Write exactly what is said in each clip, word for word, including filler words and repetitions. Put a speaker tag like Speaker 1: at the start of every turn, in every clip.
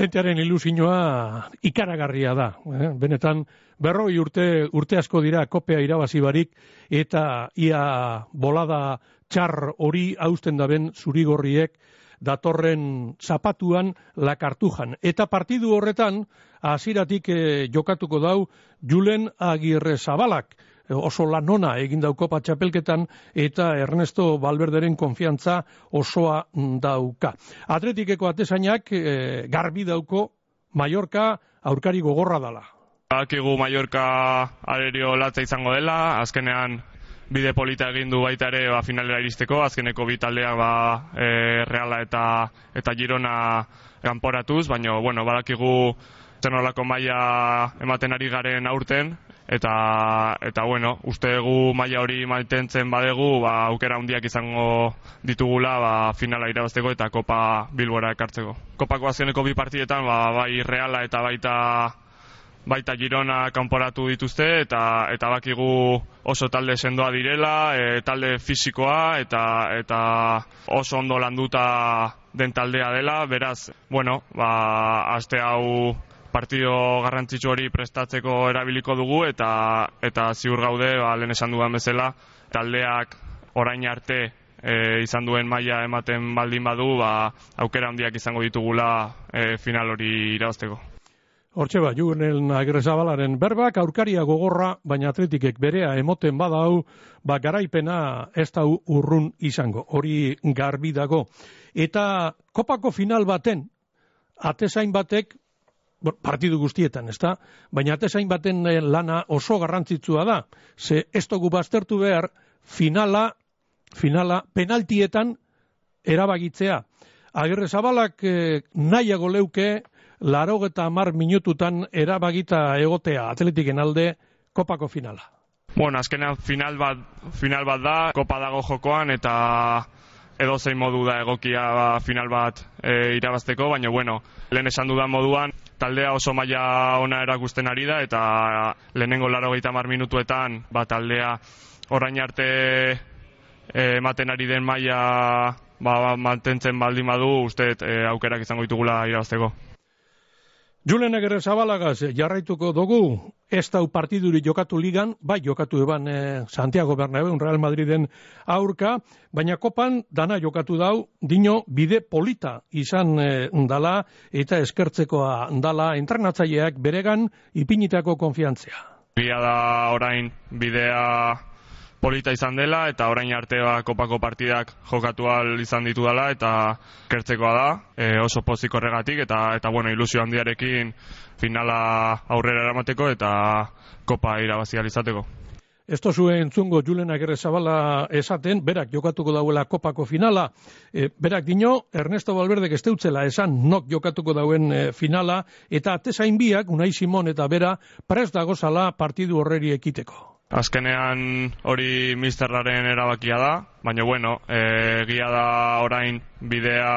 Speaker 1: jentearen ilusioa ikaragarria da. Eh? Benetan, berroi urte, urte asko dira kopea irabazi barik, eta ia bolada txar hori hausten daben zurigorriek datorren zapatuan la kartujan. Eta partidu horretan, hasieratik eh, jokatuko dau Julen Agirrezabalak, oso lanona egin dau kopa txapelketan, eta Ernesto Valverderen konfiantza osoa dauka. Atletikeko atezainak e, garbi dauko Mallorca aurkari gogorra dala.
Speaker 2: Badakigu Mallorca arerio latza izango dela, azkenean bide polita egin du baita ere ba, finalera iristeko, azkeneko bi taldeak ba, e, Reala eta, eta Girona kanporatuz, baina bueno, badakigu zer nolako maila ematen ari garen aurten, eta eta bueno, uste dugu maila hori mantentzen badegu, ba aukera handiak izango ditugula ba finala irabazteko eta Kopa Bilbora ekartzeko. Kopako azkeneko bi partidetan ba bai Reala eta baita baita Girona kanporatu dituzte eta eta bakigu oso talde sendoa direla, e, talde fisikoa eta eta oso ondo landuta den taldea dela, beraz, bueno, ba aste hau partido garrantzitsu hori prestatzeko erabiliko dugu eta eta ziur gaude, ba, lehen esan dudan bezala, taldeak orain arte e, izan duen maila ematen baldin badu, ba, aukera handiak izango ditugula e, final hori irabazteko.
Speaker 1: Hortxe ba, Julen Agirrezabalaren berbak, aurkaria gogorra, baina Atletikek berea emoten badau, ba, garaipena ez da urrun izango, hori garbi dago. Eta kopako final baten, atezain batek, partidu guztietan, ezta? Baina atezain baten lana oso garrantzitsua da. Ze ez dugu baztertu behar finala, finala penaltietan erabagitzea. Agirrezabalak eh, nahiago leuke laurogeta hamar minututan erabagita egotea Atletiken alde kopako finala.
Speaker 2: Bueno, azkenean final bat, final bat da, kopa dago jokoan eta edozein modu da egokia ba, final bat e, irabazteko, baina bueno, lehen esan dudan moduan, taldea oso maila ona erakusten ari da, eta lehenengo laurogeita hamar minutuetan, ba, taldea orain arte e, ematen ari den maila ba, mantentzen baldin badu, uste e, aukerak izango ditugula irabazteko.
Speaker 1: Julen Agirrezabalagaz jarraituko dugu, ez dau partiduri jokatu ligan, bai jokatu eban eh, Santiago Bernabéu Real Madriden aurka, baina kopan dana jokatu dau, dino bide polita izan eh, dala eta eskertzekoa dala entrenatzaileak beregan ipinitako konfiantzea.
Speaker 2: Bia da orain bidea polita izan dela eta orain arte ba, kopako partidak jokatu ahal izan ditu dela eta kertzekoa da, e, oso pozik horregatik eta eta bueno, ilusio handiarekin finala aurrera eramateko eta kopa irabazi ahal izateko.
Speaker 1: Ez tozue entzungo Julen Agirrezabala esaten, berak jokatuko dauela kopako finala, e, berak dino, Ernesto Valverdek ez deutzela esan nok jokatuko dauen e, finala, eta atezain biak, Unai Simon eta bera, prest dagozala partidu horreri ekiteko.
Speaker 2: Azkenean hori misterraren erabakia da, baina bueno, e, egia da orain bidea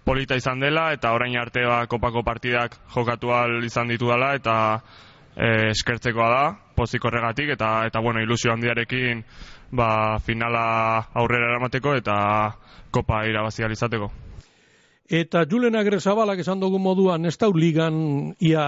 Speaker 2: polita izan dela eta orain arte ba, kopako partidak jokatu ahal izan ditu dela eta e, eskertzekoa da, pozik horregatik eta eta bueno, ilusio handiarekin ba, finala aurrera eramateko eta kopa irabazi ahal izateko.
Speaker 1: Eta Julen Agirrezabalak esan dugu moduan ez dau ligan ia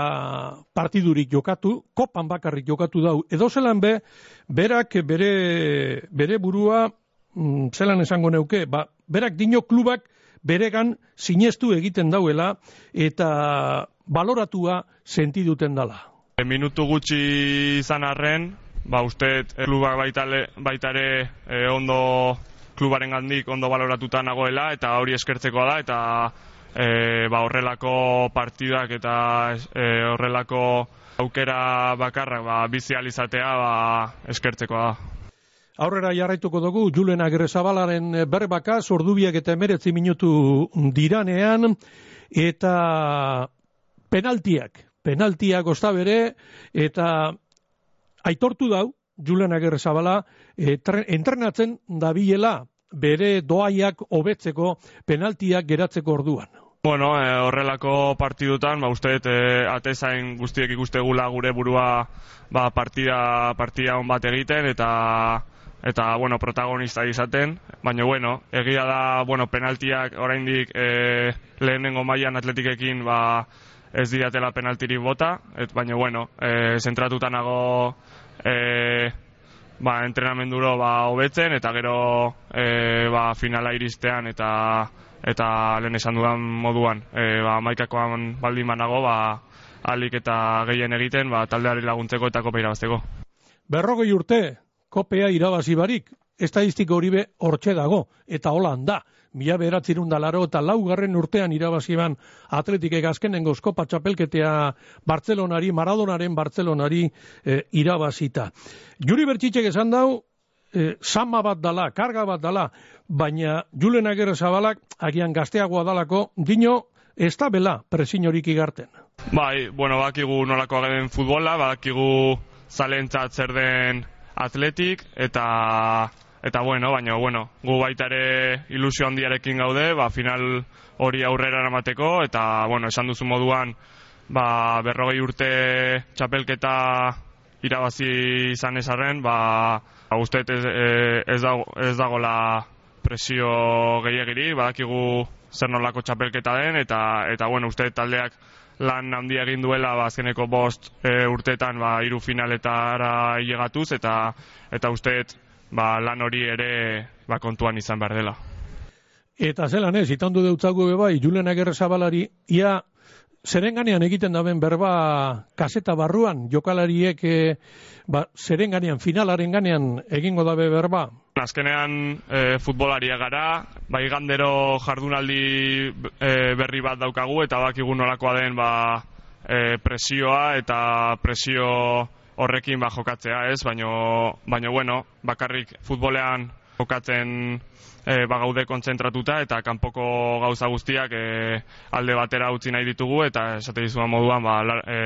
Speaker 1: partidurik jokatu, kopan bakarrik jokatu dau. Edo zelan be, berak bere, bere burua, mm, zelan esango neuke, ba, berak dino klubak beregan sinestu egiten dauela eta baloratua sentiduten dala.
Speaker 2: E, minutu gutxi izan arren, ba, uste klubak baita ere e, ondo klubaren gandik ondo baloratuta nagoela eta hori eskertzekoa da eta e, ba, horrelako partidak eta e, horrelako aukera bakarrak ba, bizializatea ba, eskertzekoa da.
Speaker 1: Aurrera jarraituko dugu Julen Agirrezabalaren berbaka ordubiak eta emeretzi minutu diranean eta penaltiak, penaltiak osta bere eta aitortu dau Julen Agirrezabala e, entrenatzen dabilela bere doaiak hobetzeko penaltiak geratzeko orduan.
Speaker 2: Bueno, e, horrelako partidutan, ba, uste e, atezain guztiek ikustegula gure burua ba, partida, partida on bat egiten eta eta bueno, protagonista izaten, baina bueno, egia da, bueno, penaltiak oraindik e, lehenengo mailan Atletikekin ba, ez diatela penaltirik bota, et, baina bueno, e, zentratuta nago e, ba, entrenamenduro ba, hobetzen, eta gero e, ba, finala iristean eta eta lehen esan dudan moduan, e, ba, maikakoan baldin banago, ba, alik eta gehien egiten ba, taldeari laguntzeko eta kopa irabazteko.
Speaker 1: Berrogei urte, kopea irabazi barik, estadistiko hori be hortxe dago, eta holan da. Mila beratzerun da laro eta laugarren urtean irabazi ban Atletikek azkenengo Kopa txapelketea Bartzelonari, Maradonaren Bartzelonari e, irabazita. Juri Bertxitxek esan dau, e, sama bat dala, karga bat dala, baina Julen Agirrezabalak agian gazteagoa dalako, dino ez da bela presinorik igarten.
Speaker 2: Bai, bueno, bakigu nolako ageden futbola, bakigu zalentzat zer den Atletik, eta eta bueno, baina bueno, gu baita ere ilusio handiarekin gaude, ba, final hori aurrera eramateko, eta bueno, esan duzu moduan, ba, berrogei urte txapelketa irabazi izan ezarren, ba, uste ez, ez, dago, ez dagola presio gehiagiri, badakigu zer nolako txapelketa den, eta eta bueno, uste taldeak lan handia egin duela ba, azkeneko bost e, urteetan ba, hiru finaletara hilegatuz, eta eta usteet ba, lan hori ere ba, kontuan izan behar dela.
Speaker 1: Eta zelan ez, itandu deutzagu bai, Julen Agirrezabalari, ia zerenganean egiten daben berba kaseta barruan, jokalariek e, ba, zerenganean, finalaren ganean egingo dabe berba?
Speaker 2: Azkenean e, futbolaria gara, bai gandero jardunaldi e, berri bat daukagu, eta bakigu nolakoa den ba, e, presioa eta presio horrekin ba, jokatzea, ez? Baino, baino bueno, bakarrik futbolean jokatzen e, ba, gaude kontzentratuta, eta kanpoko gauza guztiak e, alde batera utzi nahi ditugu, eta esate dizuan moduan ba, e,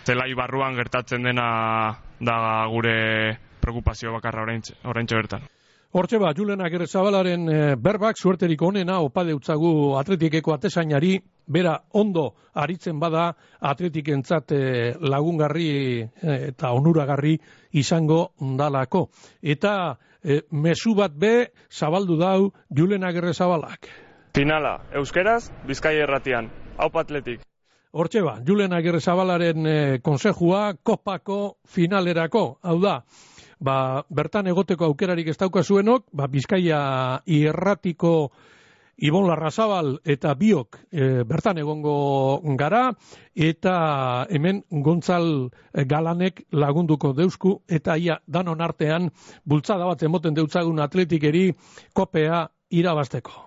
Speaker 2: zelai barruan gertatzen dena da gure preokupazio bakarra oraintxe bertan.
Speaker 1: Hortxe ba, Julen Agirrezabalaren e, berbak suerterik onena opa deutzagu Atletikeko atezainari, bera ondo aritzen bada Atletikentzat e, lagungarri e, eta onuragarri izango dalako. Eta e, mezu bat be zabaldu dau Julen Agirrezabalak.
Speaker 2: Finala, euskeraz, Bizkaia irratian, haupa Atletik.
Speaker 1: Hortxe ba, Julen Agirrezabalaren e, konsejua kopako finalerako, hau da, ba, bertan egoteko aukerarik ez daukazuenok, ba, Bizkaia irratiko Ibon Larrazabal eta biok e, bertan egongo gara, eta hemen Gontzal Galanek lagunduko deusku, eta ia danon artean bultzada bat emoten deutzagun Atletikeri kopea irabazteko.